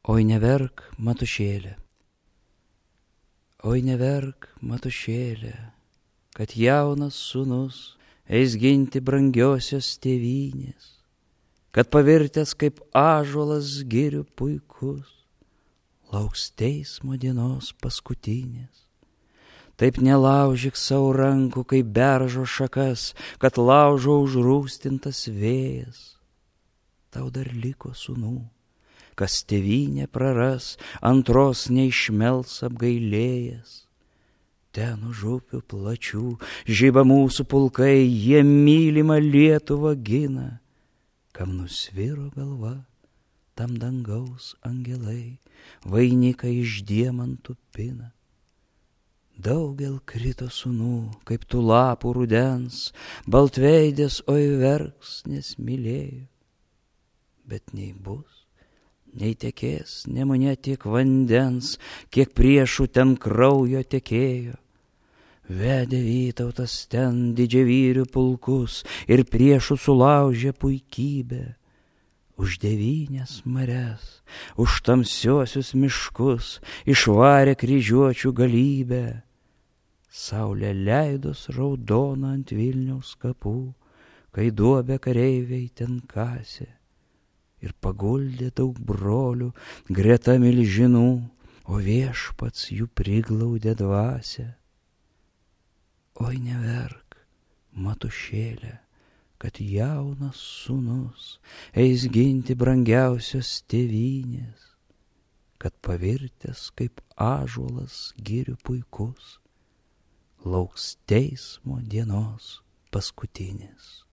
Oi neverk, matušėlė, oi neverk, matušėlė, kad jaunas sūnus eis ginti brangiosios tėvynės, kad pavirtęs kaip ąžuolas girių puikus, lauks teismo dienos paskutinės. Taip nelaužyk savo rankų, kaip beržo šakas, kad laužo užrūstintas vėjas. Tau dar liko sūnų, kas tėvynę praras, antros neišmels apgailėjęs. Ten už upių plačių žiba mūsų pulkai, jie mylimą Lietuvą gina. Kam nusviro galva, tam dangaus angelai vainiką iš diemantų pina. Daugel krito sūnų, kaip tų lapų rudens, baltveidės oi verks, nes mylėjo. Bet nei bus, nei tekės Nemune tiek vandens, kiek priešų ten kraujo tekėjo. Vedė Vytautas ten didžiavyrių pulkus ir priešų sulaužė puikybę. Už 9 marias, už tamsiosius miškus išvarė kryžiuočių galybę. Saulė leidos raudona ant Vilniaus kapų, kai duobę kareiviai ten kasė. Ir paguldė daug brolių greta milžinų, o viešpats jų priglaudė dvasią. Oi neverk, matušėlė, kad jaunas sūnus eis ginti brangiausios tėvynės, kad pavirtęs kaip ąžuolas girių puikus, lauks teismo dienos paskutinės.